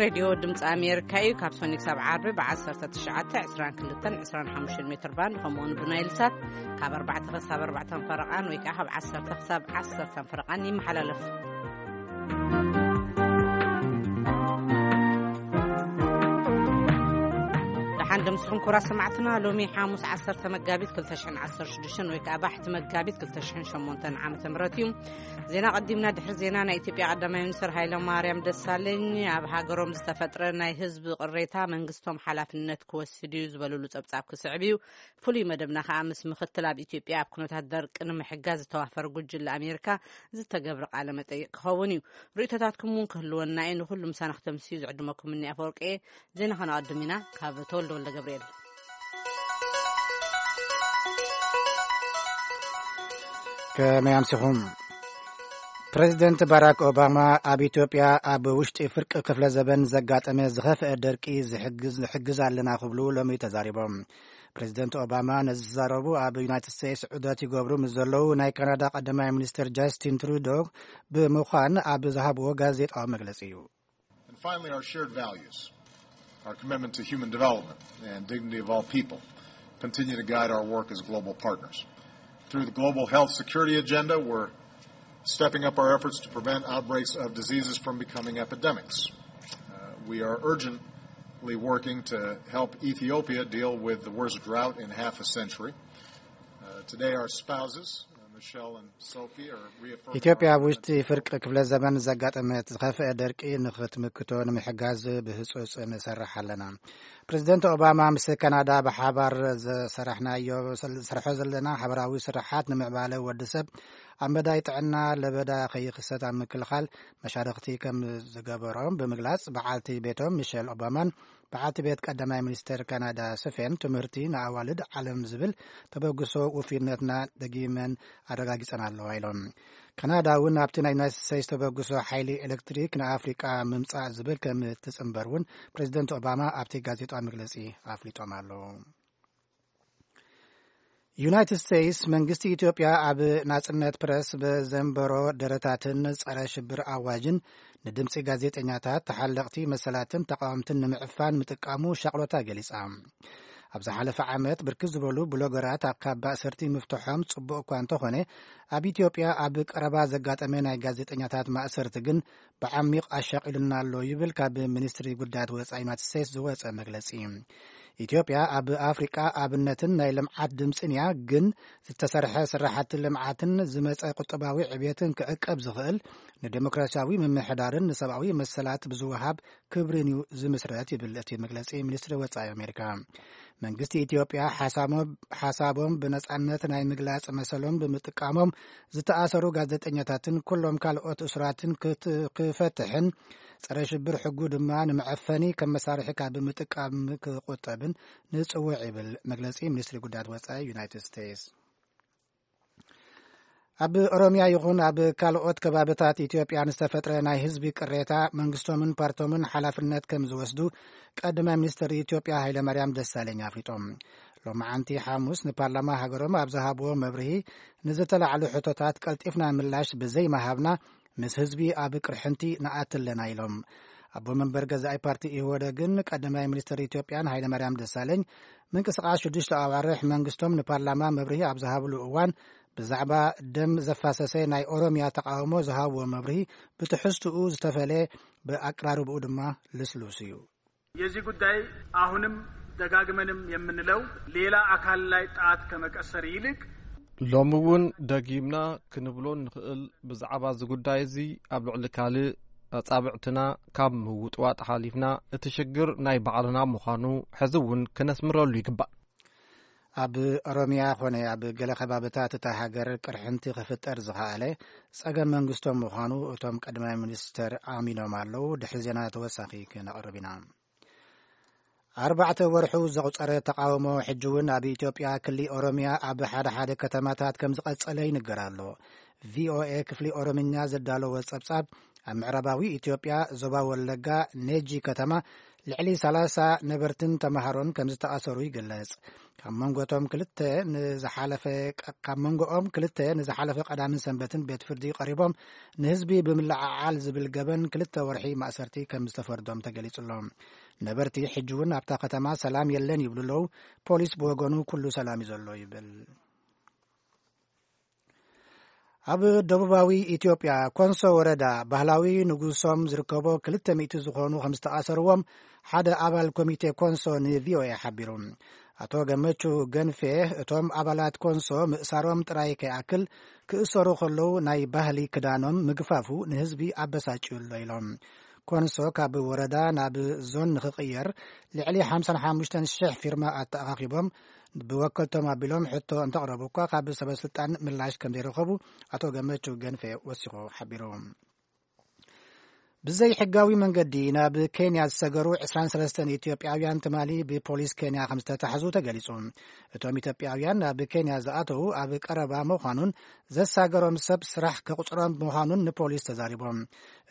ሬድዮ ድምፂ ኣሜሪካ እዩ። ካብ ሶኒ ክሳብ ዓርቢ ብ19፣ 22፣ 25 ሜትር ባንድ፣ ከምኡውን ብናይል ሳት ካብ ኣርባዕተ ክሳብ ኣርባዕተ ፈረቓን ወይ ከዓ ካብ ዓሰርተ ክሳብ ዓሰርተ ፈረቓን ይመሓላለፍ። ደሓን ደምስኹም ክቡራት ሰማዕትና። ሎሚ ሓሙስ ዓሰርተ መጋቢት ክልተ ሽሕን ዓሰርተ ሽዱሽተን ወይ ከዓ ባሕቲ መጋቢት ክልተ ሽሕን ሸሞንተን ዓመተ ምህረት እዩ። ዜና ቀዲምና። ድሕሪ ዜና፣ ናይ ኢትዮጵያ ቀዳማይ ሚኒስትር ሃይለ ማርያም ደሳለኝ ኣብ ሃገሮም ዝተፈጥረ ናይ ህዝቢ ቅሬታ መንግስቶም ሓላፍነት ክወስድ እዩ ዝበሉሉ ጸብጻብ ክስዕብ እዩ። ፍሉይ መደብና ከኣ ምስ ምኽትል ኣብ ኢትዮጵያ ኣብ ኩነታት ደርቂ ንምሕጋዝ ዝተዋፈረ ጉጅለ ኣሜሪካ ዝተገብረ ቃለ መጠይቅ ክኸውን እዩ። ርእይቶታትኩም እውን ክህልወና እዩ። ንኹሉ ምሳና ክተምስዩ ዝዕድመኩም እኒ ኣፈወርቂ እየ። ዜና ከነቐድም ኢና። ካብ ተወልደ ወልደ ገብርኤል። ከመይ ኣምሲኹም? ፕሬዚደንት ባራክ ኦባማ ኣብ ኢትዮጵያ ኣብ ውሽጢ ፍርቂ ክፍለ ዘበን ዘጋጠመ ዝኸፍአ ደርቂ ዝሕግዝ፣ ንሕግዝ ኣለና ክብሉ ሎሚ ተዛሪቦም። ፕሬዚደንት ኦባማ ነዚ ዝዛረቡ ኣብ ዩናይትድ ስቴትስ ዑደት ይገብሩ ምስ ዘለዉ ናይ ካናዳ ቀዳማይ ሚኒስትር ጃስቲን ትሩዶ ብምዃን ኣብ ዝሃብዎ ጋዜጣዊ መግለጺ እዩ። And finally, our shared values, our commitment to human development and dignity of all people continue to guide our work as global partners. Through the global health security agenda, we're stepping up our efforts to prevent outbreaks of diseases from becoming epidemics. Uh, we are urgently working to help Ethiopia deal with the worst drought in half a century. Uh, today, our spouses, uh, Michelle and Sophie, are reaffirming ኢትዮጵያ ኣብ ውሽጢ ፍርቂ ክፍለ ዘመን ዘጋጠመት ዝኸፍአ ደርቂ ንኽትምክቶ ንምሕጋዝ ብህጹጽ ንሰርሕ ኣለና። ፕሬዚደንት ኦባማ ምስ ካናዳ ብሓባር ዝሰራሕናዮ፣ ዝሰርሖ ዘለና ሓበራዊ ስራሓት ንምዕባለ ወዲ ሰብ ኣብ መዳይ ጥዕና ለበዳ ከይኽሰት ኣብ ምክልኻል መሻርኽቲ ከም ዝገበሮም ብምግላጽ፣ በዓልቲ ቤቶም ሚሸል ኦባማን በዓልቲ ቤት ቀዳማይ ሚኒስተር ካናዳ ስፌን ትምህርቲ ንኣዋልድ ዓለም ዝብል ተበግሶ ውፍይነትና ደጊመን ኣረጋጊጸን ኣለዋ ኢሎም። ካናዳ እውን ኣብቲ ናይ ዩናይትድ ስቴትስ ተበግሶ ሓይሊ ኤሌክትሪክ ንኣፍሪቃ ምምጻእ ዝብል ከም ትጽንበር እውን ፕሬዚደንት ኦባማ ኣብቲ ጋዜጣዊ መግለጺ ኣፍሊጦም ኣለዉ። ዩናይትድ ስቴትስ መንግስቲ ኢትዮጵያ ኣብ ናጽነት ፕረስ ብዘንበሮ ደረታትን ጸረ ሽብር ኣዋጅን ንድምጺ ጋዜጠኛታት፣ ተሓለቕቲ መሰላትን ተቃወምትን ንምዕፋን ምጥቃሙ ሻቕሎታ ገሊጻ። ኣብ ዝሓለፈ ዓመት ብርክት ዝበሉ ብሎገራት ኣብ ካብ ማእሰርቲ ምፍትሖም ጽቡቕ እኳ እንተኾነ፣ ኣብ ኢትዮጵያ ኣብ ቀረባ ዘጋጠመ ናይ ጋዜጠኛታት ማእሰርቲ ግን ብዓሚቕ ኣሻቒሉና ኣሎ ይብል ካብ ሚኒስትሪ ጉዳያት ወጻኢ ዩናይትድ ስቴትስ ዝወጸ መግለጺ። ኢትዮጵያ ኣብ ኣፍሪቃ ኣብነትን ናይ ልምዓት ድምጽን እያ፣ ግን ዝተሰርሐ ስራሕቲ ልምዓትን ዝመጸ ቁጠባዊ ዕብየትን ክዕቀብ ዝኽእል ንዴሞክራሲያዊ ምምሕዳርን ንሰብኣዊ መሰላት ብዝወሃብ ክብርን እዩ ዝምስረት ይብል እቲ መግለጺ ሚኒስትሪ ወጻኢ ኣሜሪካ። መንግስቲ ኢትዮጵያ ሓሳሞ-፣ ሓሳቦም ብነጻነት ናይ ምግላጽ መሰሎም ብምጥቃሞም ዝተኣሰሩ ጋዜጠኛታትን ኩሎም ካልኦት እሱራትን ክት-፣ ክፈትሕን ጸረ ሽብር ሕጉ ድማ ንመዐፈኒ ከም መሳርሒ ካብ ምጥቃም ክቁጠብን ንጽውዕ ይብል መግለጺ ሚኒስትሪ ጉዳያት ወጻኢ ዩናይትድ ስቴትስ። ኣብ ኦሮሚያ ይኹን ኣብ ካልኦት ከባብታት ኢትዮጵያ ንዝተፈጥረ ናይ ህዝቢ ቅሬታ መንግስቶምን ፓርቶምን ሓላፍነት ከም ዝወስዱ ቀዳማይ ሚኒስትር ኢትዮጵያ ሃይለማርያም ደሳለኝ ኣፍሊጦም። ሎማዓንቲ ሓሙስ ንፓርላማ ሃገሮም ኣብ ዝሃብዎ መብርሂ፣ ንዝተላዕሉ ሕቶታት ቀልጢፍና ምላሽ ብዘይምሃብና ምስ ህዝቢ ኣብ ቅርሕንቲ ንኣቲ ኣለና ኢሎም። ኣቦ መንበር ገዛኢ ፓርቲ ኢህወደግን ቀዳማይ ሚኒስትር ኢትዮጵያን ሃይለማርያም ደሳለኝ ምንቅስቃስ ሽዱሽተ ኣዋርሕ መንግስቶም ንፓርላማ መብርሂ ኣብ ዝሃብሉ እዋን ብዛዕባ ደም ዘፋሰሰ ናይ ኦሮሚያ ተቃውሞ ዝሃብዎ መብርሂ ብትሕዝትኡ ዝተፈለ፣ ብኣቀራርብኡ ድማ ልስሉስ እዩ። የዚህ ጉዳይ አሁንም ደጋግመንም የምንለው ሌላ አካል ላይ ጣት ከመቀሰር ይልቅ ሎሚ እውን ደጊምና ክንብሎ እንኽእል፣ ብዛዕባ እዚ ጉዳይ እዚ ኣብ ልዕሊ ካልእ ኣጻብዕትና ካብ ምውጥዋጥ ሓሊፍና እቲ ሽግር ናይ ባዕልና ምዃኑ ሕዚ እውን ክነስምረሉ ይግባእ። ኣብ ኦሮሚያ ኾነ ኣብ ገለ ከባብታት እታ ሃገር ቅርሕንቲ ክፍጠር ዝኸኣለ ጸገም መንግስቶም ምዃኑ እቶም ቀዳማይ ሚኒስተር ኣሚኖም ኣለዉ። ድሕሪ ዜና ተወሳኺ ክነቕርብ ኢና። ኣርባዕተ ወርሑ ዘቑጸረ ተቓውሞ ሕጂ እውን ኣብ ኢትዮጵያ ክሊ ኦሮሚያ ኣብ ሓደ ሓደ ከተማታት ከም ዝቐጸለ ይንገር ኣሎ። ቪኦኤ ክፍሊ ኦሮምኛ ዘዳለዎ ጸብጻብ፣ ኣብ ምዕራባዊ ኢትዮጵያ ዞባ ወለጋ ኔጂ ከተማ ልዕሊ ሰላሳ ነበርትን ተማሃሮን ከም ዝተኣሰሩ ይግለጽ። ካብ መንጎቶም ክልተ ንዝሓለፈ፣ ካብ መንጎኦም ክልተ ንዝሓለፈ ቀዳምን ሰንበትን ቤት ፍርዲ ቀሪቦም ንህዝቢ ብምልዓዓል ዝብል ገበን ክልተ ወርሒ ማእሰርቲ ከም ዝተፈርዶም ተገሊጹ ኣሎ። ነበርቲ ሕጂ እውን ኣብታ ከተማ ሰላም የለን ይብሉ ኣለዉ። ፖሊስ ብወገኑ ኩሉ ሰላም እዩ ዘሎ ይብል። ኣብ ደቡባዊ ኢትዮጵያ ኮንሶ ወረዳ ባህላዊ ንጉሶም ዝርከቦ ክልተ ሚእቲ ዝኾኑ ከም ዝተኣሰርዎም ሓደ ኣባል ኮሚቴ ኮንሶ ንቪኦኤ ሓቢሩ። ኣቶ ገመቹ ገንፌ፣ እቶም ኣባላት ኮንሶ ምእሳሮም ጥራይ ከይኣክል፣ ክእሰሩ ከለዉ ናይ ባህሊ ክዳኖም ምግፋፉ ንህዝቢ ኣበሳጭዩ ኣሎ ኢሎም። ኮንሶ ካብ ወረዳ ናብ ዞን ንኽቕየር ልዕሊ ሓምሳን ሓሙሽተን ሽሕ ፊርማ ኣተኣኻኺቦም ብወከልቶም ኣቢሎም ሕቶ እንተቕረቡ እኳ ካብ ሰበ ስልጣን ምላሽ ከም ዘይረኸቡ ኣቶ ገመቹ ገንፌ ወሲኹ ሓቢሩ። ብዘይ ሕጋዊ መንገዲ ናብ ኬንያ ዝሰገሩ ዕስራን ሰለስተን ኢትዮጵያውያን ትማሊ ብፖሊስ ኬንያ ከም ዝተታሕዙ ተገሊጹ። እቶም ኢትዮጵያውያን ናብ ኬንያ ዝኣተዉ ኣብ ቀረባ ምዃኑን ዘሳገሮም ሰብ ስራሕ ከቑጽሮም ምዃኑን ንፖሊስ ተዛሪቦም።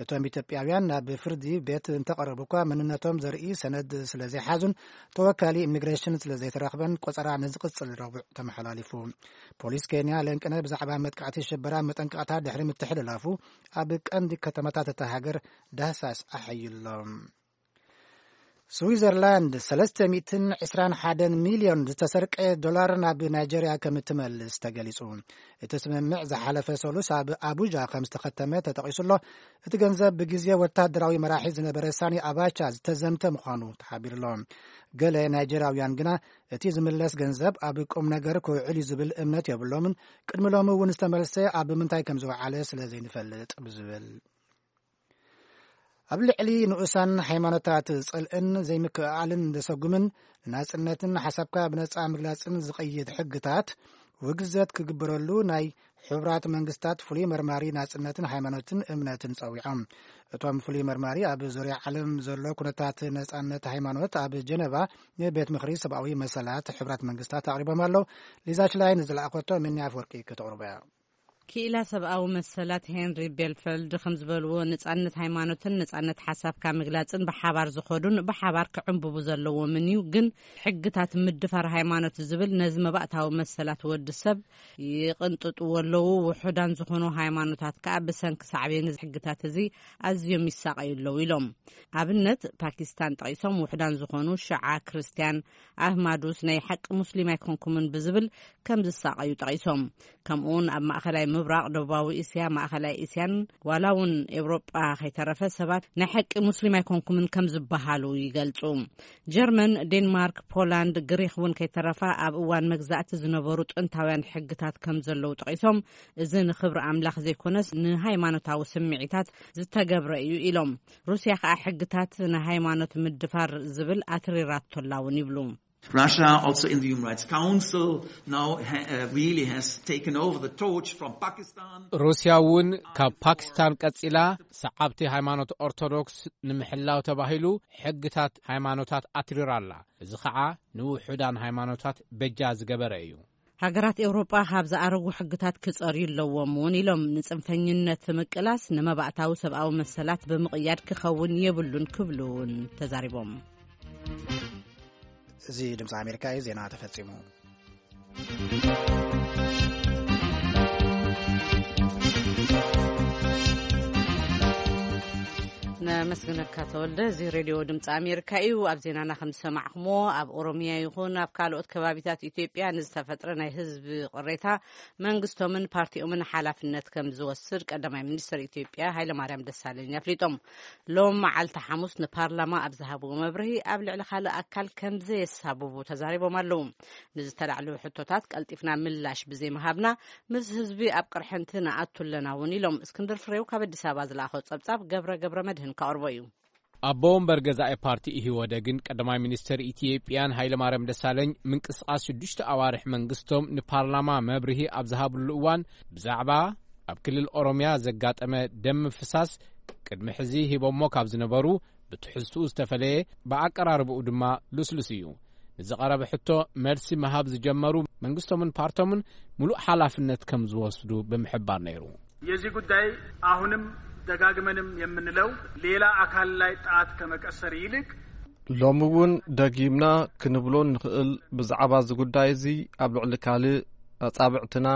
እቶም ኢትዮጵያውያን ናብ ፍርዲ ቤት እንተቐረቡ እኳ መንነቶም ዘርኢ ሰነድ ስለ ዘይሓዙን ተወካሊ ኢሚግሬሽን ስለ ዘይተረኽበን ቆጸራ ንዝቕጽል ረቡዕ ተመሓላሊፉ። ፖሊስ ኬንያ ለንቅነ ብዛዕባ መጥቃዕቲ ሽበራ መጠንቀቕታ ድሕሪ ምትሕልላፉ ኣብ ቀንዲ ከተማታት እታ ሃገር ዳህሳስ ኣሐይሎም። ስዊዘርላንድ ሰለስተ ሚእትን ዕስራን ሓደን ሚልዮን ዝተሰርቀ ዶላር ናብ ናይጀርያ ከም እትመልስ ተገሊጹ። እቲ ስምምዕ ዝሓለፈ ሰሉስ ኣብ ኣቡጃ ከም ዝተኸተመ ተጠቒሱ ኣሎ። እቲ ገንዘብ ብግዜ ወታደራዊ መራሒ ዝነበረ ሳኒ ኣባቻ ዝተዘምተ ምዃኑ ተሓቢሩ ኣሎ። ገለ ናይጀርያውያን ግና እቲ ዝምለስ ገንዘብ ኣብ ቁም ነገር ክውዕል እዩ ዝብል እምነት የብሎምን። ቅድሚ ሎሚ እውን ዝተመልሰ ኣብ ምንታይ ከም ዝወዓለ ስለ ዘይንፈልጥ ብዝብል ኣብ ልዕሊ ንኡሳን ሃይማኖታት ጽልእን ዘይምክእኣልን ዘሰጉምን ንናጽነትን ሓሳብካ ብነጻ ምግላጽን ዝቐይድ ሕግታት ውግዘት ክግበረሉ ናይ ሕቡራት መንግስታት ፍሉይ መርማሪ ናጽነትን ሃይማኖትን እምነትን ጸዊዖም። እቶም ፍሉይ መርማሪ ኣብ ዙርያ ዓለም ዘሎ ኩነታት ነጻነት ሃይማኖት ኣብ ጀነቫ ንቤት ምኽሪ ሰብኣዊ መሰላት ሕቡራት መንግስታት ኣቕሪቦም ኣለዉ። ሊዛ ሽላይን ዝለኣኸቶ ምንያ ኣፍወርቂ ከተቕርቦ እያ። ክኢላ ሰብኣዊ መሰላት ሄንሪ ቤልፈልድ ከም ዝበልዎ፣ ነጻነት ሃይማኖትን ነጻነት ሓሳብካ ምግላጽን ብሓባር ዝኸዱን ብሓባር ክዕንብቡ ዘለዎምን እዩ። ግን ሕግታት ምድፋር ሃይማኖት ዝብል ነዚ መባእታዊ መሰላት ወዲ ሰብ ይቕንጥጥዎ ኣለዉ። ውሑዳን ዝኾኑ ሃይማኖታት ከኣ ብሰንኪ ሳዕቤን እዚ ሕግታት እዚ ኣዝዮም ይሳቐዩ ኣለዉ ኢሎም። ኣብነት ፓኪስታን ጠቒሶም፣ ውሑዳን ዝኾኑ ሽዓ ክርስትያን ኣህማዱስ ናይ ሓቂ ሙስሊም ኣይኮንኩምን ብዝብል ከም ዝሳቐዩ ጠቒሶም። ከምኡውን ኣብ ማእኸላይ ምብራቕ፣ ደቡባዊ እስያ፣ ማእኸላይ እስያን ዋላ እውን ኤውሮጳ ከይተረፈ ሰባት ናይ ሓቂ ሙስሊም ኣይኮንኩምን ከም ዝበሃሉ ይገልጹ። ጀርመን፣ ዴንማርክ፣ ፖላንድ፣ ግሪኽ እውን ከይተረፋ ኣብ እዋን መግዛእቲ ዝነበሩ ጥንታውያን ሕግታት ከም ዘለዉ ጠቒሶም፣ እዚ ንኽብሪ ኣምላኽ ዘይኮነስ ንሃይማኖታዊ ስምዒታት ዝተገብረ እዩ ኢሎም። ሩስያ ከኣ ሕግታት ንሃይማኖት ምድፋር ዝብል ኣትሪራቶ ኣላ እውን ይብሉ። Russia also in the Human Rights Council now ha- uh, really has taken over the torch from Pakistan. ሩስያ እውን ካብ ፓኪስታን ቀጺላ ሰዓብቲ ሃይማኖት ኦርቶዶክስ ንምሕላው ተባሂሉ ሕግታት ሃይማኖታት ኣትሪራ ኣላ። እዚ ኸዓ ንውሑዳን ሃይማኖታት በጃ ዝገበረ እዩ። ሃገራት ኤውሮጳ ካብ ዝኣረጉ ሕግታት ክጸርዩ ኣለዎም እውን ኢሎም። ንጽንፈኝነት ምቅላስ ንመባእታዊ ሰብኣዊ መሰላት ብምቕያድ ክኸውን የብሉን ክብሉ እውን ተዛሪቦም። እዚ ድምፂ ኣሜሪካ እዩ። ዜና ተፈጺሙ። ነመስግነካ ተወልደ። እዚ ሬድዮ ድምፂ ኣሜሪካ እዩ። ኣብ ዜናና ከም ዝሰማዕኹሞ፣ ኣብ ኦሮሚያ ይኹን ኣብ ካልኦት ከባቢታት ኢትዮጵያ ንዝተፈጥረ ናይ ህዝቢ ቅሬታ መንግስቶምን ፓርቲኦምን ሓላፍነት ከም ዝወስድ ቀዳማይ ሚኒስትር ኢትዮጵያ ሃይለማርያም ደሳለኝ ኣፍሊጦም። ሎም መዓልቲ ሓሙስ ንፓርላማ ኣብ ዝሃብዎ መብርሂ፣ ኣብ ልዕሊ ካልእ ኣካል ከም ዘየሳብቡ ተዛሪቦም ኣለዉ። ንዝተላዕሉ ሕቶታት ቀልጢፍና ምላሽ ብዘይምሃብና ምስ ህዝቢ ኣብ ቅርሕንቲ ንኣቱ ኣለና እውን ኢሎም። እስክንድር ፍሬው ካብ ኣዲስ ኣበባ ዝለኣኾ ጸብጻብ ገብረ ገብረ መድህን ከቕርቦ እዩ። ኣቦ ወንበር ገዛኢ ፓርቲ ኢህወደግን ቀዳማይ ሚኒስትር ኢትዮጵያን ሃይለማርያም ደሳለኝ ምንቅስቃስ ሽዱሽተ ኣዋርሕ መንግስቶም ንፓርላማ መብርሂ ኣብ ዝሃብሉ እዋን ብዛዕባ ኣብ ክልል ኦሮሚያ ዘጋጠመ ደም ምፍሳስ ቅድሚ ሕዚ ሂቦሞ ካብ ዝነበሩ ብትሕዝትኡ ዝተፈለየ ብኣቀራርብኡ ድማ ልስሉስ እዩ። ንዝቐረበ ሕቶ መልሲ ምሃብ ዝጀመሩ መንግስቶምን ፓርቶምን ሙሉእ ሓላፍነት ከም ዝወስዱ ብምሕባር ነይሩ። የዚህ ጉዳይ አሁንም ደጋግመንም የምንለው ሌላ አካል ላይ ጣት ከመቀሰር ይልቅ ሎሚ እውን ደጊምና ክንብሎ እንኽእል፣ ብዛዕባ እዚ ጉዳይ እዚ ኣብ ልዕሊ ካልእ ኣጻብዕትና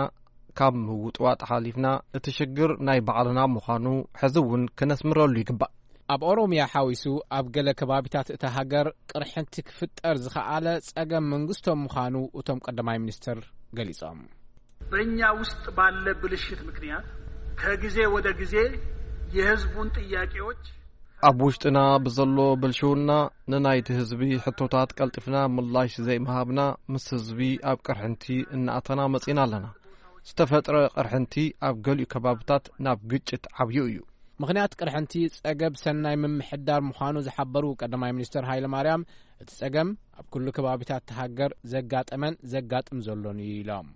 ካብ ምውጥዋጥ ሓሊፍና፣ እቲ ሽግር ናይ ባዕልና ምዃኑ ሕዚ እውን ክነስምረሉ ይግባእ። ኣብ ኦሮምያ ሓዊሱ ኣብ ገለ ከባቢታት እታ ሃገር ቅርሕንቲ ክፍጠር ዝኸኣለ ጸገም መንግስቶም ምዃኑ እቶም ቀዳማይ ሚኒስትር ገሊጾም። በእኛ ውስጥ ባለ ብልሽት ምክንያት ከጊዜ ወደ ጊዜ የህዝቡን ጥያቄዎች ኣብ ውሽጥና ብዘሎ ብልሽውና ንናይቲ ህዝቢ ሕቶታት ቀልጢፍና ምላሽ ዘይምሃብና፣ ምስ ህዝቢ ኣብ ቅርሕንቲ እናኣተና መጺና ኣለና። ዝተፈጥረ ቅርሕንቲ ኣብ ገሊኡ ከባብታት ናብ ግጭት ዓብዩ እዩ። ምኽንያት ቅርሕንቲ ጸገብ ሰናይ ምምሕዳር ምዃኑ ዝሓበሩ ቀዳማይ ሚኒስትር ሃይለ ማርያም፣ እቲ ጸገም ኣብ ኩሉ ከባቢታት እታ ሃገር ዘጋጠመን ዘጋጥም ዘሎን እዩ ኢሎም።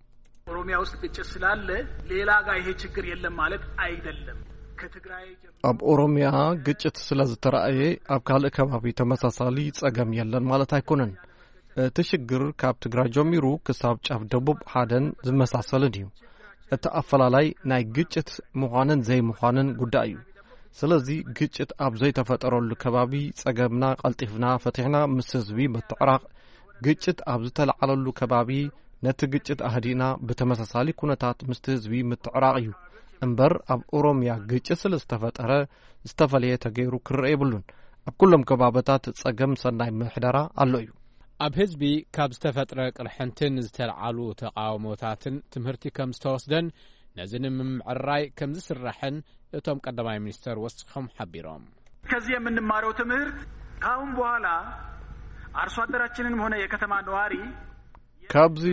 ኦሮሚያ ውስጥ ግጭት ስላለ ሌላ ጋር ይሄ ችግር የለም ማለት አይደለም። ከትግራይ ጀምሮ ኣብ ኦሮሚያ ግጭት ስለ ዝተራእየ ኣብ ካልእ ከባቢ ተመሳሳሊ ጸገም የለን ማለት ኣይኮነን። እቲ ሽግር ካብ ትግራይ ጀሚሩ ክሳብ ጫፍ ደቡብ ሓደን ዝመሳሰልን እዩ። እቲ ኣፈላላይ ናይ ግጭት ምዃንን ዘይምዃንን ጉዳይ እዩ። ስለዚ ግጭት ኣብ ዘይተፈጠረሉ ከባቢ ጸገምና ቀልጢፍና ፈቲሕና ምስ ህዝቢ ምትዕራቕ፣ ግጭት ኣብ ዝተለዓለሉ ከባቢ ነቲ ግጭት ኣህዲእና ብተመሳሳሊ ኩነታት ምስቲ ህዝቢ ምትዕራቕ እዩ። እምበር ኣብ ኦሮምያ ግጭት ስለ ዝተፈጠረ ዝተፈለየ ተገይሩ ክረአ የብሉን። ኣብ ኩሎም ከባብታት ጸገም ሰናይ ምሕደራ ኣሎ እዩ። ኣብ ህዝቢ ካብ ዝተፈጥረ ቅርሕንትን ዝተለዓሉ ተቃውሞታትን ትምህርቲ ከም ዝተወስደን ነዚ ንምምዕራይ ከም ዝስራሕን እቶም ቀዳማይ ሚኒስተር ወሲኾም ሓቢሮም። ከዚህ የምንማረው ትምህርት ከአሁን በኋላ አርሶ አደራችንንም ሆነ የከተማ ነዋሪ ካብዚ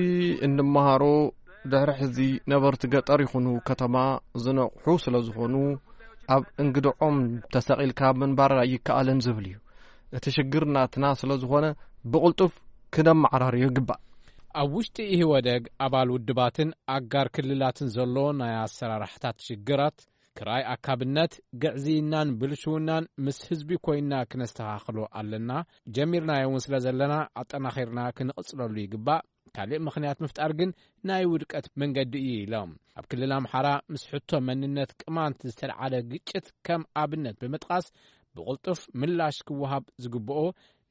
እንመሃሮ፣ ድሕሪ ሕዚ ነበርቲ ገጠር ይኹኑ ከተማ ዝነቕሑ ስለ ዝኾኑ፣ ኣብ እንግድዖም ተሰቒልካ ምንባር ኣይከኣልን ዝብል እዩ። እቲ ሽግር ናትና ስለ ዝኾነ፣ ብቕልጡፍ ክነመዓራርዮ ይግባእ። ኣብ ውሽጢ ኢህወደግ ኣባል ውድባትን ኣጋር ክልላትን ዘሎ ናይ ኣሰራርሓታት ሽግራት፣ ክራይ ኣካብነት፣ ግዕዝይናን ብልሽውናን ምስ ህዝቢ ኮይና ክነስተኻኽሎ ኣለና። ጀሚርናዮ እውን ስለ ዘለና ኣጠናኺርና ክንቕጽለሉ ይግባእ። ካልእ ምኽንያት ምፍጣር ግን ናይ ውድቀት መንገዲ እዩ ኢሎም። ኣብ ክልል ኣምሓራ ምስ ሕቶ መንነት ቅማንት ዝተልዓለ ግጭት ከም ኣብነት ብምጥቃስ፣ ብቕልጡፍ ምላሽ ክወሃብ ዝግብኦ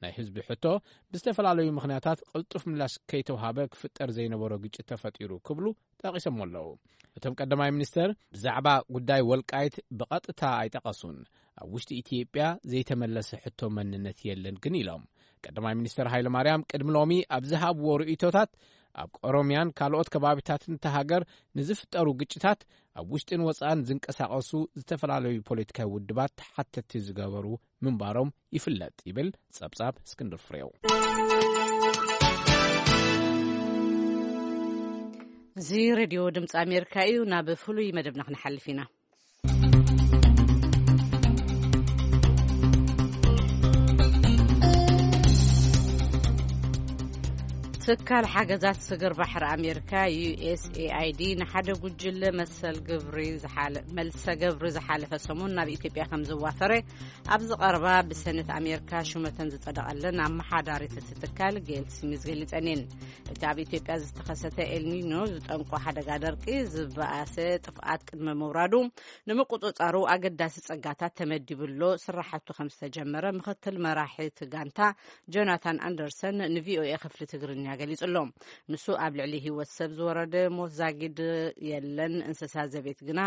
ናይ ህዝቢ ሕቶ ብዝተፈላለዩ ምኽንያታት ቅልጡፍ ምላሽ ከይተውሃበ ክፍጠር ዘይነበሮ ግጭት ተፈጢሩ ክብሉ ጠቒሶም ኣለዉ። እቶም ቀዳማይ ሚኒስተር ብዛዕባ ጉዳይ ወልቃይት ብቐጥታ ኣይጠቐሱን። ኣብ ውሽጢ ኢትዮጵያ ዘይተመለሰ ሕቶ መንነት የለን ግን ኢሎም። ቀዳማይ ሚኒስተር ሃይለ ማርያም ቅድሚ ሎሚ ኣብ ዝሃብዎ ርእይቶታት፣ ኣብ ኦሮምያን ካልኦት ከባቢታትን እታ ሃገር ንዝፍጠሩ ግጭታት ኣብ ውሽጥን ወጻእን ዝንቀሳቐሱ ዝተፈላለዩ ፖለቲካዊ ውድባት ተሓተቲ ዝገበሩ ምንባሮም ይፍለጥ ይብል ጸብጻብ እስክንድር ፍሬው። እዚ ሬድዮ ድምፂ ኣሜሪካ እዩ። ናብ ፍሉይ መደብና ክንሓልፍ ኢና። ትካል ሓገዛት ስግር ባሕሪ ኣሜሪካ፣ ዩ ኤስ ኤ ኣይ ዲ፣ ንሓደ ጉጅለ መሰል ግብሪ ዝሓለ-፣ መልሰ ግብሪ ዝሓለፈ ሰሙን ናብ ኢትዮጵያ ከም ዘዋፈረ፣ ኣብዚ ቀረባ ብሰነት ኣሜሪካ ሹመተን ዝጸደቐለን ኣመሓዳሪት እቲ ትካል ጌል ስሚዝ ገሊጸን እየን። እቲ ኣብ ኢትዮጵያ ዝተኸሰተ ኤልኒኖ ዝጠንቆ ሓደጋ ደርቂ፣ ዝበኣሰ ጥፍኣት ቅድሚ ምውራዱ፣ ንምቁጽጻሩ ኣገዳሲ ጸጋታት ተመዲቡ ኣሎ። ስራሕቱ ከም ዝተጀመረ ምኽትል መራሒ እቲ ጋንታ ጆናታን ኣንደርሰን ንቪኦኤ ክፍሊ ትግርኛ ገሊጹ ኣሎ። ንሱ ኣብ ልዕሊ ህይወት ሰብ ዝወረደ ሞት ዛጊድ የለን፣ እንስሳ ዘቤት ግና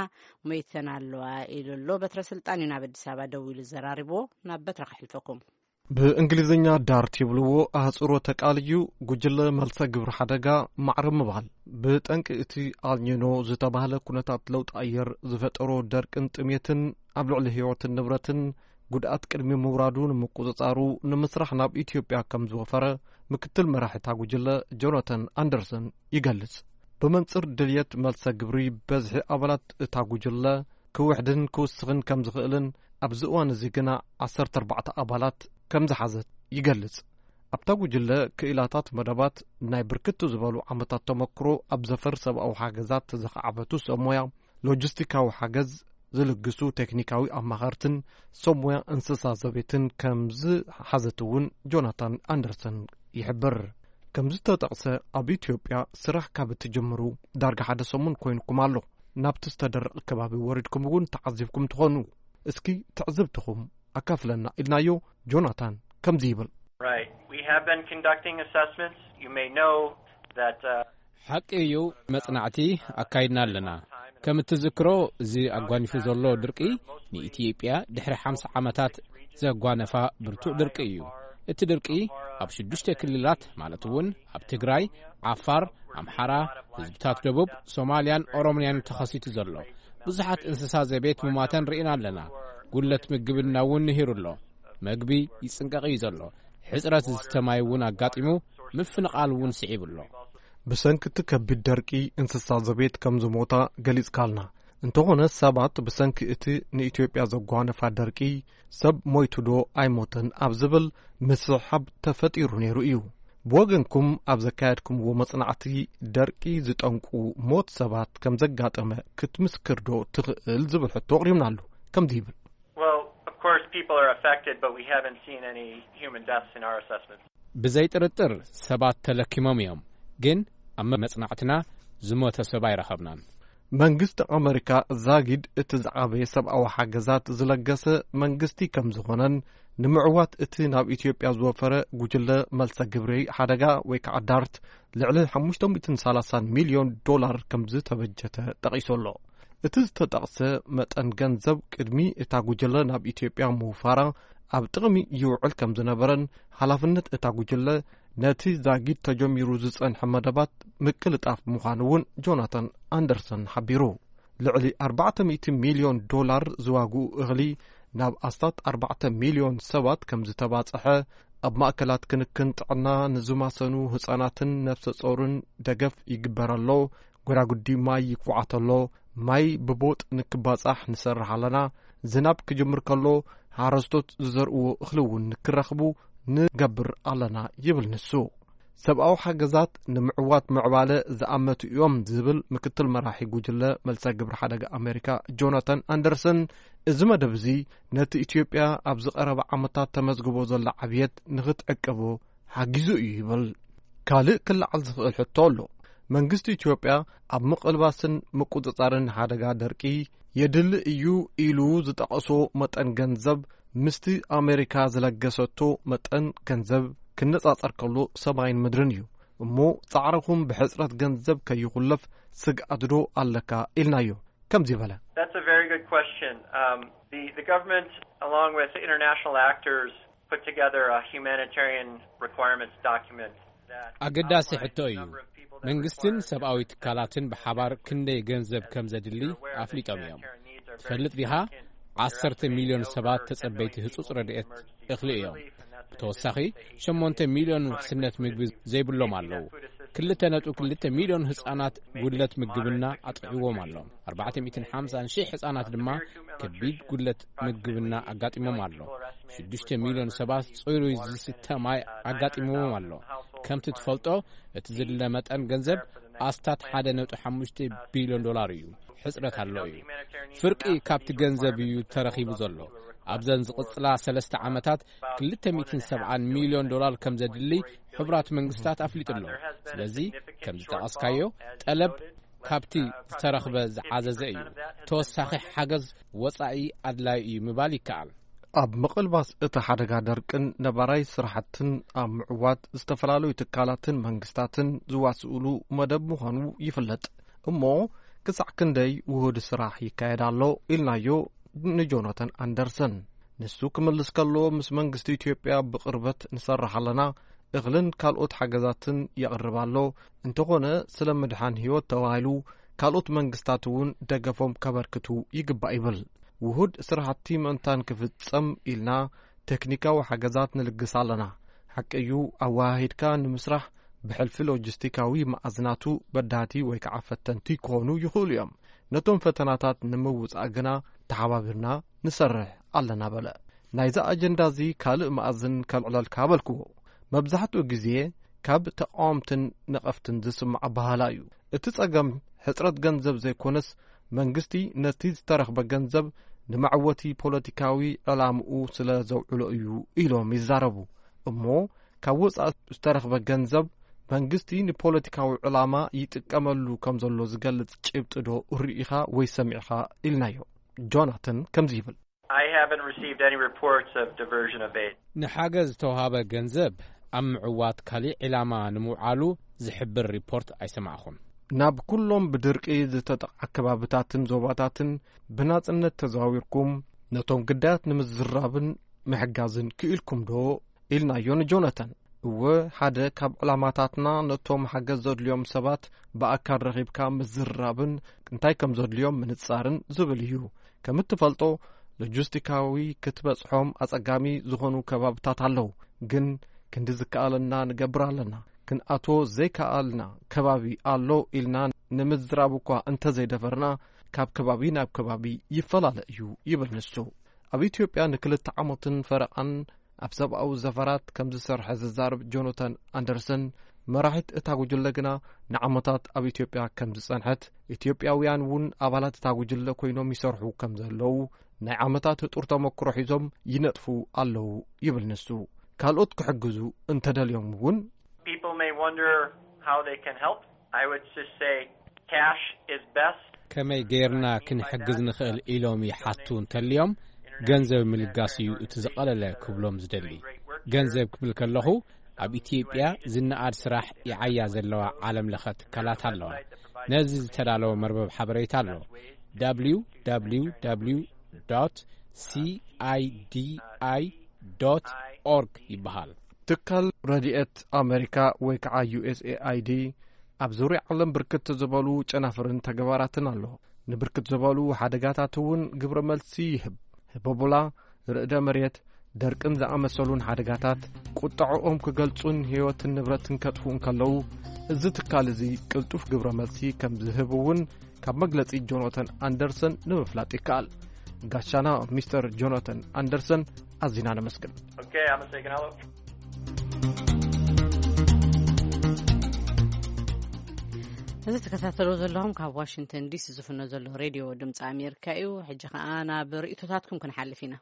ሞይተን ኣለዋ ኢሉ ኣሎ። በትረ ስልጣን እዩ ናብ ኣዲስ ኣበባ ደዊሉ ዘራሪብዎ። ናብ በትረ ከሕልፈኩም። ብእንግሊዝኛ ዳርት ይብልዎ ኣህጽሮተ ቃል እዩ። ጉጅለ መልሰ ግብሪ ሓደጋ ማዕረ ምባል፣ ብጠንቂ እቲ ኣልኒኖ ዝተባህለ ኩነታት ለውጢ ኣየር ዝፈጠሮ ደርቅን ጥሜትን ኣብ ልዕሊ ህይወትን ንብረትን ጉድኣት ቅድሚ ምውራዱ ንምቁጽጻሩ ንምስራሕ ናብ ኢትዮጵያ ከም ዝወፈረ ምክትል መራሒ እታ ጉጅለ ጆናተን ኣንደርሰን ይገልጽ። ብመንጽር ድልየት መልሰ ግብሪ፣ በዝሒ ኣባላት እታ ጉጅለ ክውሕድን ክውስኽን ከም ዝኽእልን ኣብዚ እዋን እዚ ግና ዓሰርተ ኣርባዕተ ኣባላት ከም ዝሓዘት ይገልጽ። ኣብታ ጉጅለ ክኢላታት መደባት፣ ናይ ብርክት ዝበሉ ዓመታት ተመክሮ ኣብ ዘፈር ሰብኣዊ ሓገዛት ዘኻዕበቱ ሰብ ሞያ፣ ሎጂስቲካዊ ሓገዝ ዝልግሱ ቴክኒካዊ ኣማኸርትን ሰብ ሞያ እንስሳ ዘቤትን ከም ዝሓዘት እውን ጆናታን ኣንደርሰን ይሕብር። ከም ዝተጠቕሰ፣ ኣብ ኢትዮጵያ ስራሕ ካብ እትጅምሩ ዳርጋ ሓደ ሰሙን ኮይንኩም ኣሎ። ናብቲ ዝተደረቐ ከባቢ ወሪድኩም እውን ተዓዚብኩም ትኾኑ። እስኪ ትዕዝብትኹም ኣካፍለና ኢልናዮ። ጆናታን ከምዚ ይብል። Right. We have been conducting assessments. You may know that uh, ሓቂ እዩ፣ መጽናዕቲ ኣካይድና ኣለና። ከም እትዝክሮ፣ እዚ ኣጓኒፉ ዘሎ ድርቂ ንኢትዮጵያ ድሕሪ ሓምሳ ዓመታት ዘጓነፋ ብርቱዕ ድርቂ እዩ። እቲ ድርቂ ኣብ ሽዱሽተ ክልላት፣ ማለት እውን ኣብ ትግራይ፣ ዓፋር፣ ኣምሓራ፣ ህዝብታት ደቡብ፣ ሶማልያን ኦሮምያን ተኸሲቱ ዘሎ። ብዙሓት እንስሳ ዘቤት ሙማተን ርኢና ኣለና። ጉለት ምግብና እውን ንሂሩ ኣሎ። መግቢ ይጽንቀቕ እዩ ዘሎ። ሕጽረት ዝስተ ማይ እውን ኣጋጢሙ፣ ምፍንቓል እውን ስዒቡ ኣሎ። ብሰንኪ እቲ ከቢድ ደርቂ እንስሳ ዘቤት ከም ዝሞታ ገሊጽካልና። እንተኾነ ሰባት ብሰንኪ እቲ ንኢትዮጵያ ዘጓነፋ ደርቂ ሰብ ሞይቱ ዶ ኣይሞተን ኣብ ዝብል ምስሕሓብ ተፈጢሩ ነይሩ እዩ። ብወገንኩም ኣብ ዘካየድኩምዎ መጽናዕቲ ደርቂ ዝጠንቁ ሞት ሰባት ከም ዘጋጠመ ክትምስክር ዶ ትኽእል ዝብል ሕቶ ኣቕሪብናሉ። ከምዚ ይብል። Well, of course, people are affected, but we haven't seen any human deaths in our assessments. ብዘይ ጥርጥር ሰባት ተለኪሞም እዮም፣ ግን ኣብ መጽናዕትና ዝሞተ ሰብ ኣይረኸብናን። መንግስቲ ኣመሪካ ዛጊድ እቲ ዝዓበየ ሰብኣዊ ሓገዛት ዝለገሰ መንግስቲ ከም ዝኾነን ንምዕዋት እቲ ናብ ኢትዮጵያ ዝወፈረ ጉጅለ መልሰ ግብሪ ሓደጋ ወይ ከዓ ዳርት ልዕሊ ሓሙሽተ ሚእትን ሰላሳን ሚልዮን ዶላር ከም ዝተበጀተ ጠቒሱ ኣሎ። እቲ ዝተጠቕሰ መጠን ገንዘብ ቅድሚ እታ ጉጅለ ናብ ኢትዮጵያ ምውፋራ ኣብ ጥቕሚ ይውዕል ከም ዝነበረን ሓላፍነት እታ ጉጅለ ነቲ ዛጊድ ተጀሚሩ ዝጸንሐ መደባት ምቅልጣፍ ምዃኑ እውን ጆናታን ኣንደርሰን ሓቢሩ። ልዕሊ ኣርባዕተ ሚእቲ ሚልዮን ዶላር ዝዋግኡ እኽሊ ናብ ኣስታት ኣርባዕተ ሚልዮን ሰባት ከም ዝተባጽሐ፣ ኣብ ማእከላት ክንክን ጥዕና ንዝማሰኑ ህጻናትን ነፍሰ ጾርን ደገፍ ይግበር ኣሎ። ጎዳጉዲ ማይ ይኩዓት ኣሎ። ማይ ብቦጥ ንክባጻሕ ንሰርሕ ኣለና። ዝናብ ክጅምር ከሎ ሓረስቶት ዝዘርእዎ እኽሊ እውን ንክረኽቡ ንገብር ኣለና ይብል ንሱ። ሰብኣዊ ሓገዛት ንምዕዋት ምዕባለ ዝኣመቱ እዮም ዝብል ምክትል መራሒ ጉጅለ መልሰ ግብሪ ሓደጋ ኣሜሪካ ጆናታን ኣንደርሰን፣ እዚ መደብ እዚ ነቲ ኢትዮጵያ ኣብዚ ቀረባ ዓመታት ተመዝግቦ ዘሎ ዓብየት ንክትዕቅቦ ሓጊዙ እዩ ይብል። ካልእ ክለዓል ዝኽእል ሕቶ ኣሎ። መንግስቲ ኢትዮጵያ ኣብ ምቕልባስን ምቁጽጻርን ሓደጋ ደርቂ የድሊ እዩ ኢሉ ዝጠቐሶ መጠን ገንዘብ ምስቲ ኣሜሪካ ዝለገሰቶ መጠን ገንዘብ ክነጻጸር ከሎ ሰማይን ምድርን እዩ። እሞ ጻዕርኹም ብሕጽረት ገንዘብ ከይኹለፍ ስግኣት ዶ ኣለካ ኢልናዮ። ከምዚ በለ። That's a very good question. Um, the, the government, along with international actors, put together a humanitarian requirements document. ኣገዳሲ ሕቶ እዩ። መንግስትን ሰብኣዊ ትካላትን ብሓባር ክንደይ ገንዘብ ከም ዘድሊ ኣፍሊጦም እዮም። ትፈልጥ ዲኻ? ዓሰርተ ሚልዮን ሰባት ተጸበይቲ ህጹጽ ረድኤት እኽሊ እዮም። ብተወሳኺ፣ ሸሞንተ ሚልዮን ውሕስነት ምግቢ ዘይብሎም ኣለዉ። ክልተ ነጥቢ ክልተ ሚልዮን ህጻናት ጉድለት ምግብና ኣጥዕዎም ኣሎ። ኣርባዕተ ሚእትን ሓምሳን ሺሕ ህጻናት ድማ ከቢድ ጉድለት ምግብና ኣጋጢሞም ኣሎ። ሽዱሽተ ሚልዮን ሰባት ጽሩይ ዝስተ ማይ ኣጋጢምዎም ኣሎ። ከምቲ ትፈልጦ፣ እቲ ዝድለ መጠን ገንዘብ ኣስታት ሓደ ነጥቢ ሓሙሽተ ቢልዮን ዶላር እዩ። ሕጽረት ኣሎ እዩ። ፍርቂ ካብቲ ገንዘብ እዩ ተረኺቡ ዘሎ። ኣብዘን ዝቕጽላ ሰለስተ ዓመታት ክልተ ሚእትን ሰብዓን ሚልዮን ዶላር ከም ዘድሊ ሕቡራት መንግስታት ኣፍሊጡ ኣሎ። ስለዚ፣ ከም ዝጠቐስካዮ፣ ጠለብ ካብቲ ዝተረኽበ ዝዓዘዘ እዩ። ተወሳኺ ሓገዝ ወጻኢ ኣድላዪ እዩ ምባል ይከኣል። ኣብ ምቕልባስ እቲ ሓደጋ ደርቅን ነባራይ ስራሕትን ኣብ ምዕዋት ዝተፈላለዩ ትካላትን መንግስታትን ዝዋስኡሉ መደብ ምዃኑ ይፍለጥ። እሞ ክሳዕ ክንደይ ውሁድ ስራሕ ይካየድ ኣሎ ኢልናዮ ንጆናታን ኣንደርሰን። ንሱ ክምልስ ከሎ፣ ምስ መንግስቲ ኢትዮጵያ ብቕርበት ንሰርሕ ኣለና፣ እኽልን ካልኦት ሓገዛትን የቕርብ ኣሎ። እንተኾነ፣ ስለ ምድሓን ህይወት ተባሂሉ ካልኦት መንግስታት እውን ደገፎም ከበርክቱ ይግባእ ይብል። ውሁድ ስራሕቲ ምእንታን ክፍጸም ኢልና ቴክኒካዊ ሓገዛት ንልግስ ኣለና። ሓቂ እዩ፣ ኣወሃሂድካ ንምስራሕ ብሕልፊ ሎጂስቲካዊ መኣዝናቱ በዳህቲ ወይ ከዓ ፈተንቲ ክኾኑ ይኽእሉ እዮም። ነቶም ፈተናታት ንምውጻእ ግና ተሓባቢርና ንሰርሕ ኣለና በለ። ናይዚ ኣጀንዳ እዚ ካልእ መኣዝን ከልዕለልካ በልክዎ። መብዛሕትኡ ግዜ ካብ ተቓወምትን ነቐፍትን ዝስማዕ ኣበሃህላ እዩ። እቲ ጸገም ሕጽረት ገንዘብ ዘይኮነስ፣ መንግስቲ ነቲ ዝተረኽበ ገንዘብ ንመዕወቲ ፖለቲካዊ ዕላምኡ ስለ ዘውዕሎ እዩ ኢሎም ይዛረቡ። እሞ ካብ ወጻኢ ዝተረኽበ ገንዘብ መንግስቲ ንፖለቲካዊ ዕላማ ይጥቀመሉ ከም ዘሎ ዝገልጽ ጭብጢ ዶ ርኢኻ ወይ ሰሚዕኻ ኢልናዮ። ጆናተን ከምዚ ይብል። I haven't received any reports of diversion of aid. ንሓገዝ ዝተውሃበ ገንዘብ ኣብ ምዕዋት ካሊእ ዕላማ ንምውዓሉ ዝሕብር ሪፖርት ኣይሰማዕኹን። ናብ ኩሎም ብድርቂ ዝተጠቕዓ ከባብታትን ዞባታትን ብናጽነት ተዛዊርኩም ነቶም ግዳያት ንምዝራብን ምሕጋዝን ክኢልኩም ዶ? ኢልናዮ ንጆናታን። እወ፣ ሓደ ካብ ዕላማታትና ነቶም ሓገዝ ዘድልዮም ሰባት ብኣካል ረኺብካ ምዝርራብን እንታይ ከም ዘድልዮም ምንጻርን ዝብል እዩ። ከም እትፈልጦ፣ ሎጂስቲካዊ ክትበጽሖም ኣጸጋሚ ዝኾኑ ከባብታት ኣለዉ፣ ግን ክንዲ ዝከኣለና ንገብር ኣለና። ክንኣትዎ ዘይከኣልና ከባቢ ኣሎ ኢልና ንምዝራብ እኳ እንተዘይደፈርና፣ ካብ ከባቢ ናብ ከባቢ ይፈላለ እዩ ይብል ንሱ። ኣብ ኢትዮጵያ ንክልተ ዓመትን ፈረቓን ኣብ ሰብኣዊ ዘፈራት ከም ዝሰርሐ ዝዛረብ ጆናታን ኣንደርሰን፣ መራሒት እታ ጉጅለ ግና ንዓመታት ኣብ ኢትዮጵያ ከም ዝጸንሐት፣ ኢትዮጵያውያን እውን ኣባላት እታ ጉጅለ ኮይኖም ይሰርሑ ከም ዘለዉ፣ ናይ ዓመታት ህጡር ተመክሮ ሒዞም ይነጥፉ ኣለዉ ይብል ንሱ። ካልኦት ክሕግዙ እንተደልዮም እውን People may wonder how they can help. I would just say cash is best. ከመይ ጌርና ክንሕግዝ ንኽእል ኢሎም ይሓቱ እንተልዮም፣ ገንዘብ ምልጋስ እዩ እቲ ዝቐለለ ክብሎም ዝደሊ። ገንዘብ ክብል ከለኹ፣ ኣብ ኢትዮጵያ ዝነኣድ ስራሕ ይዓያ ዘለዋ ዓለም ለኸ ትካላት ኣለዋ። ነዚ ዝተዳለወ መርበብ ሓበሬታ ኣሎ፣ www cidi org ይበሃል። ትካል ረድኤት ኣሜሪካ ወይ ከዓ ዩ ኤስ ኤ ኣይ ዲ ኣብ ዙርያ ዓለም ብርክት ዝበሉ ጨናፍርን ተግባራትን ኣሎ። ንብርክት ዝበሉ ሓደጋታት እውን ግብረ መልሲ ይህብ። ህቦቦላ፣ ርዕደ መሬት፣ ደርቅን ዝኣመሰሉን ሓደጋታት ቁጠዐኦም ክገልጹን ህይወትን ንብረትን ከጥፍኡ እንከለዉ፣ እዚ ትካል እዚ ቅልጡፍ ግብረ መልሲ ከም ዝህብ እውን ካብ መግለጺ ጆናታን ኣንደርሰን ንምፍላጥ ይከኣል። ጋሻና ሚስተር ጆናታን ኣንደርሰን ኣዚና ነመስግን። Okay, I'm a second hello. እዚ ትከታተሉ ዘለኹም ካብ ዋሽንግተን ዲሲ ዝፍኖ ዘሎ ሬድዮ ድምፂ ኣሜሪካ እዩ። ሕጂ ከዓ ናብ ርእቶታትኩም ክንሓልፍ ኢና።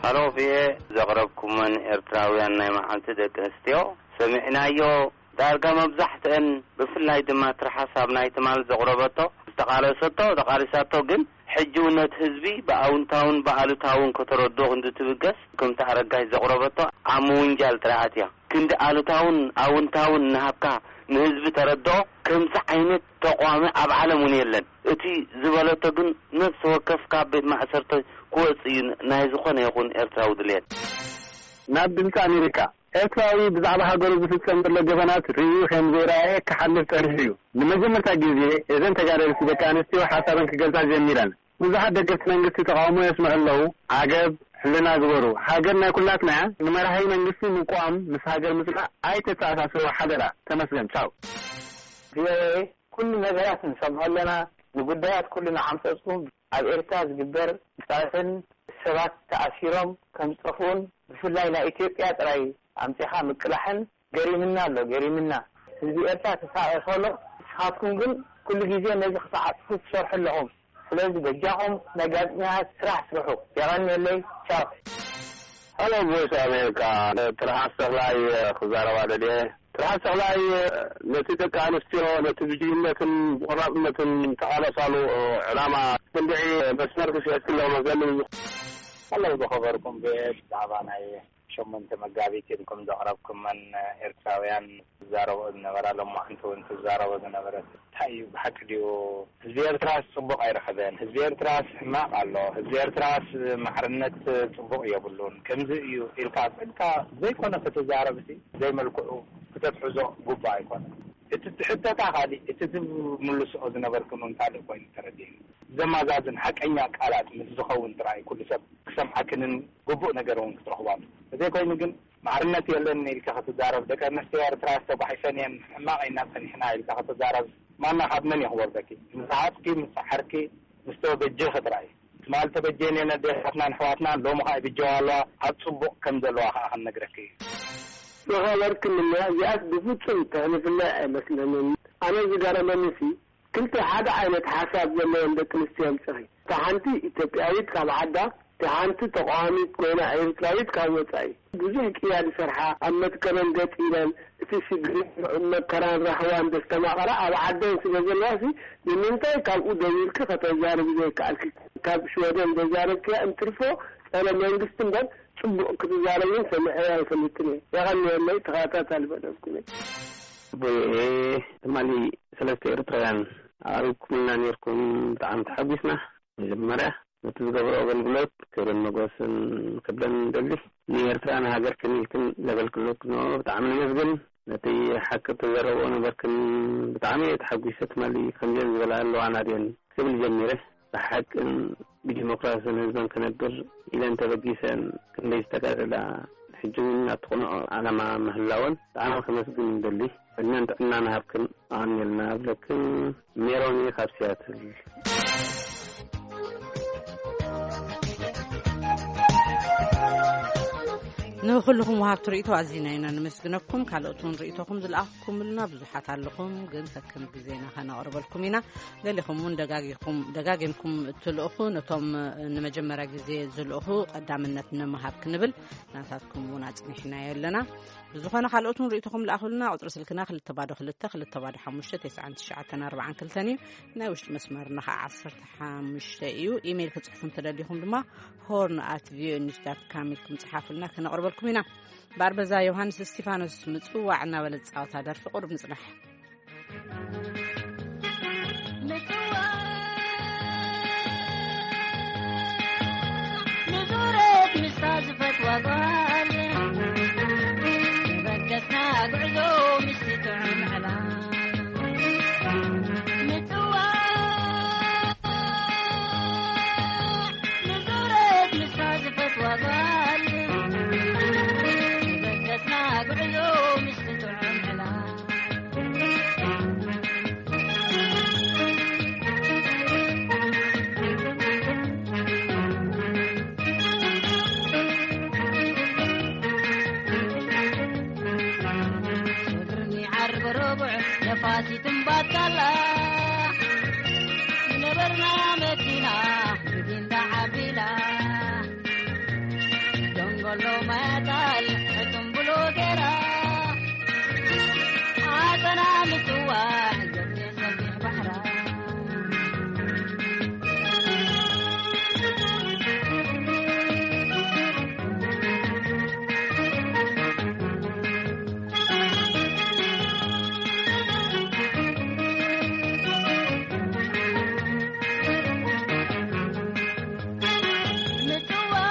ሃሎ ቪኤ፣ ዘቕረብኩመን ኤርትራውያን ናይ መዓልቲ ደቂ ኣንስትዮ ሰሚዕናዮ። ዳርጋ መብዛሕትአን፣ ብፍላይ ድማ ትርሓስ ኣብ ናይ ትማል ዘቕረበቶ ዝተቓለሰቶ፣ ተቓሊሳቶ፣ ግን ሕጂ እውን ነቲ ህዝቢ ብኣውንታውን ብኣሉታውን ከተረድኦ ክንዲ ትብገስ፣ ከምቲ ኣረጋሽ ዘቕረበቶ ኣብ ምውንጃል ጥራይ ኣትያ። ክንዲ ኣሉታውን ኣውንታውን እናሃብካ ንህዝቢ ተረድኦ፣ ከምዚ ዓይነት ተቋሚ ኣብ ዓለም እውን የለን። እቲ ዝበለቶ ግን ነፍሲ ወከፍ ካብ ቤት ማእሰርቲ ክወጽእ እዩ ናይ ዝኾነ ይኹን ኤርትራዊ ድልየት። ናብ ድምፂ ኣሜሪካ። ኤርትራዊ ብዛዕባ ሃገሩ ዝፍጸም ዘሎ ገበናት ርእዩ ከም ዘይረኣየ ክሓልፍ ጸኒሑ እዩ። ንመጀመርታ ግዜ እዘን ተጋደልቲ ደቂ ኣንስትዮ ሓሳበን ክገልጻ ጀሚረን። ብዙሓት ደገፍቲ መንግስቲ ተቓውሞ የስምዑ ኣለዉ። ዓገብ፣ ሕልና ግበሩ። ሃገር ናይ ኩላትና እያ። ንመራሒ መንግስቲ ምቋም ምስ ሃገር ምጽናዕ ኣይተተኣሳስርዎ ሓደራ። ተመስገን። ቻው። ቪኦኤ፣ ኩሉ ነገራት ንሰምዖ ኣለና። ንጉዳያት ኩሉ ንዓምጸጽኩም። ኣብ ኤርትራ ዝግበር ግፍዕታትን ሰባት ተኣሲሮም ከም ዝጠፍኡን ብፍላይ ናይ ኢትዮጵያ ጥራይ ኣምጺኻ ምቅላሕን ገሪምና ኣሎ፣ ገሪምና። ህዝቢ ኤርትራ ተሳቒ ከሎ ንስኻትኩም ግን ኩሉ ግዜ ነዚ ክትዓጽፉ ትሰርሑ ኣለኹም። ስለዚ በጃኹም ናይ ጋዜጠኛታት ስራሕ ስርሑ። የቐንየለይ። ቻው። ሀሎ ቮይስ ኣሜሪካ፣ ትርሓስ ተኽላይ ክዛረባ ደልየ። ትርሓስ ተኽላይ፣ ነቲ ደቂ ኣንስትዮ ነቲ ብጅግንነትን ብቆራፅነትን ተቓለሳሉ ዕላማ ክንድዒ መስመር ክስዕት ክለዎ መዘኒ። ሀሎ ዝኸበርኩም ብዛዕባ ናይ ሸሞንተ መጋቢት ኢልኩም ዘቕረብኩመን ኤርትራውያን ትዛረቦ ዝነበራ፣ ሎማዕንቲ እውን ትዛረቦ ዝነበረት እንታይ እዩ? ብሓቂ ድዩ? ህዝቢ ኤርትራስ ጽቡቕ ኣይረኸበን? ህዝቢ ኤርትራስ ሕማቕ ኣሎ? ህዝቢ ኤርትራስ ማዕርነት ጽቡቕ የብሉን? ከምዚ እዩ ኢልካ ኣጸልካ ዘይኮነ ክትዛረብሲ ዘይመልክዑ ክተትሕዞ ግቡእ ኣይኮነን። እቲ ትሕተታ ካልእ፣ እቲ ትምልስኦ ዝነበርክን እውን ካልእ ኮይኑ ተረዲእኒ። ዘማዛዝን ሓቀኛ ቃላት ምስ ዝኸውን ጥራይ ኩሉ ሰብ ክሰምዓክንን ግቡእ ነገር እውን ክትረኽባሉ። እዘይ ኮይኑ ግን ማዕርነት የለን ኢልካ ክትዛረብ፣ ደቂ ኣንስትዮ ኤርትራ ተጓሒፈን እየን፣ ሕማቕ ኢና ጸኒሕና ኢልካ ክትዛረብ፣ ማና ካብ መን እዩ ክወርደኪ? ምስ ረሃጽኪ፣ ምስ ጸሓርኪ፣ ምስ ተበጀኺ ጥራይ። ትማል ተበጀን እየን ኣዴታትናን ኣሕዋትናን፣ ሎሚ ኸኣ ይብጀዋ ኣለዋ፣ ኣብ ጽቡቕ ከም ዘለዋ ኸኣ ክንነግረኪ እዩ። ዝኸበርክንና፣ እዚኣስ ብፍጹም ተሕልፍለይ ኣይመስለንን። ኣነ ዝገረመኒሲ፣ ክልተ ሓደ ዓይነት ሓሳብ ዘለወን ደቂ ኣንስትዮ ኣምጺኺ። እታ ሓንቲ ኢትዮጵያዊት ካብ ዓዳ፣ እታ ሓንቲ ተቓዋሚት ኮይና ኤርትራዊት ካብ ወጻኢ። ብዙሕ ቅያ ዝሰርሓ፣ ኣብ መትከለን ገጥ ኢለን፣ እቲ ሽግርን መከራን ራህዋን ዘስተማቐራ ኣብ ዓደን ስለ ዘለዋ ሲ፣ ንምንታይ ካብኡ ደዊርኪ ከተዛርቢ ዘይከኣልኪ? ካብ ሽወደን ዘዛረብክያ እንትርፎ ጸረ መንግስቲ እምበር ጽቡቕ ክትዛረብን ሰሚዐያ ኣይፈልጥን እየ። የቐንየለይ፣ ተኸታታሊ መደብኩም እየ። ቪኦኤ ትማሊ ሰለስተ ኤርትራውያን ኣቕሪብኩምልና ነይርኩም፣ ብጣዕሚ ተሓጒስና። መጀመርያ ነቲ ዝገብሮ ኣገልግሎት ክብርን መጎስን ክብለን ንደሊ። ንኤርትራ ንሃገር ከኒልክን ዘገልግሎት ንኦ ብጣዕሚ ነመስግን። ነቲ ሓቂ ተዘረብኦ ነበርክን ብጣዕሚ እየ ተሓጒሰ። ትማሊ ከምዚአን ዝበላ ኣለዋና ድየን ክብል ጀሚረ። ብሓቅን ብዲሞክራስን ህዝበን ክነብር ኢለን ተበጊሰን ክንደይ ዝተጋደላ፣ ሕጂ እውን ኣብቲ ቅኑዕ ዓላማ ምህላወን ብጣዕሚ ከመስግን ንደሊ። ዕድመን ጥዕናን ሃብክን ኣቐንየልና እብለክን። ሜሮን እየ ካብ ሲያትል። ንኹልኹም ወሃብቲ ርእይቶ ኣዚና ኢና ነመስግነኩም። ካልኦት እውን ርእይቶኹም ዝለኣኽኩምልና ብዙሓት ኣለኹም፣ ግን ከከም ግዜና ከነቕርበልኩም ኢና። ገሊኹም እውን ደጋጊኹም፣ ደጋጊምኩም እትልእኹ፣ ነቶም ንመጀመርያ ግዜ ዝልእኹ ቀዳምነት ንምሃብ ክንብል ናታትኩም እውን ኣጽኒሕናዮ ኣለና። ብዝኾነ ካልኦት እውን ርእይቶኹም ለኣኹልና። ቁጽሪ ስልክና ክልተ ባዶ ክልተ፣ ክልተ ባዶ ሓሙሽተ፣ ተስዓን ትሽዓተን ኣርባዓን ክልተን እዩ። ናይ ውሽጢ መስመርና ኸዓ ዓሰርተ ሓሙሽተ እዩ። ኢሜይል ክጽሕፉ እንተደሊኹም ድማ ሆርን ኣት ቪኦኤ ኒውስ ዳት ካም ኢልኩም ጽሓፉልና፣ ከነቕርበልኩም ኢና። በኣር በዛ ዮሃንስ እስቲፋኖስ ምጽዋዕ እናበለት ጻወታ ደርፊ ቁሩብ ንጽናሕ። ምጽዋዕ ንዙረት ምስታ ዝፈትዋ ጓል፣ በገስና ጉዕዞ ምስቲ ጥዑም ዕላል። ምጽዋዕ ንዙረት ምስታ ዝፈትዋ ጓል፣ በገስና ጉዕዞ ምስቲ ጥዑም ዕላል። ሽግርኒ ዓርቢ ረቡዕ ነፋሲት እምባካላ፣ ዝነበርና መኪና ብጊንዳ ዓቢላ፣ ደንጎሎ ማያታል ሕቱም ብሎ ገይራ፣ ዓጸና ምጽዋዕ ገብሬ ሰፊሕ ባሕራ። ምጽዋዕ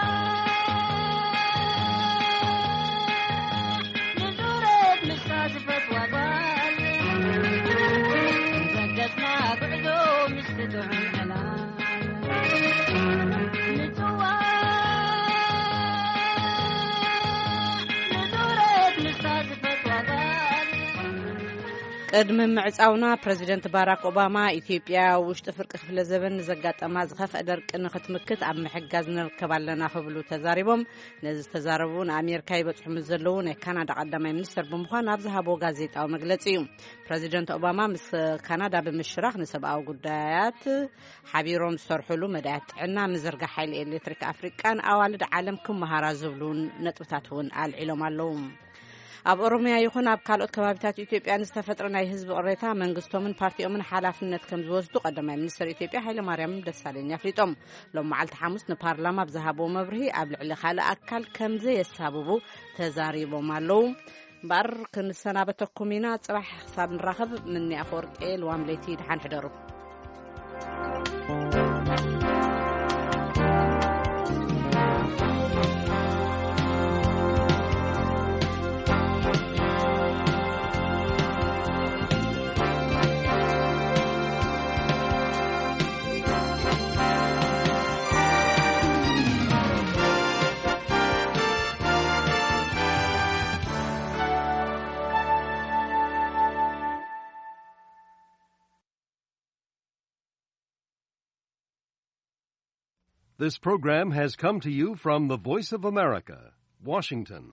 ንዙረት ምስታ ዝፈትዋ ጓል፣ በገስና ጉዕዞ ምስቲ ጥዑም ዕላል። ምጽዋዕ ንዙረት ምስታ ዝፈትዋ ጓል። ቅድሚ ምዕጻውና፣ ፕረዚደንት ባራክ ኦባማ፣ ኢትዮጵያ ኣብ ውሽጢ ፍርቂ ክፍለ ዘበን ንዘጋጠማ ዝኸፍአ ደርቂ ንኽትምክት ኣብ ምሕጋዝ ንርከብ ኣለና ክብሉ ተዛሪቦም። ነዚ ዝተዛረቡ፣ ንኣሜሪካ ይበጽሑ ምስ ዘለዉ ናይ ካናዳ ቀዳማይ ሚኒስትር ብምዃን ኣብ ዝሃብዎ ጋዜጣዊ መግለጺ እዩ። ፕረዚደንት ኦባማ ምስ ካናዳ ብምሽራኽ ንሰብኣዊ ጉዳያት ሓቢሮም ዝሰርሕሉ መዳያት ጥዕና፣ ምዝርጋሕ ሓይሊ ኤሌክትሪክ ኣፍሪቃን ኣዋልድ ዓለም ክመሃራ ዝብሉ ነጥብታት እውን ኣልዒሎም ኣለዉ። ኣብ ኦሮሚያ ይኹን ኣብ ካልኦት ከባቢታት ኢትዮጵያ ንዝተፈጥረ ናይ ህዝቢ ቅሬታ መንግስቶምን ፓርቲኦምን ሓላፍነት ከም ዝወስዱ ቀዳማይ ሚኒስትር ኢትዮጵያ ሃይለማርያም ደሳለኝ ኣፍሊጦም። ሎም መዓልቲ ሓሙስ ንፓርላማ ብዝሃብዎ መብርሂ፣ ኣብ ልዕሊ ካልእ ኣካል ከም ዘየሳብቡ ተዛሪቦም ኣለዉ። እምበኣር ክንሰናበተኩም ኢና። ጽባሕ ክሳብ ንራኸብ፣ ምኒ ኣፈወርቂ፣ ልዋም ለይቲ፣ ደሓን ሕደሩ። This program has come to you from the Voice of America, Washington.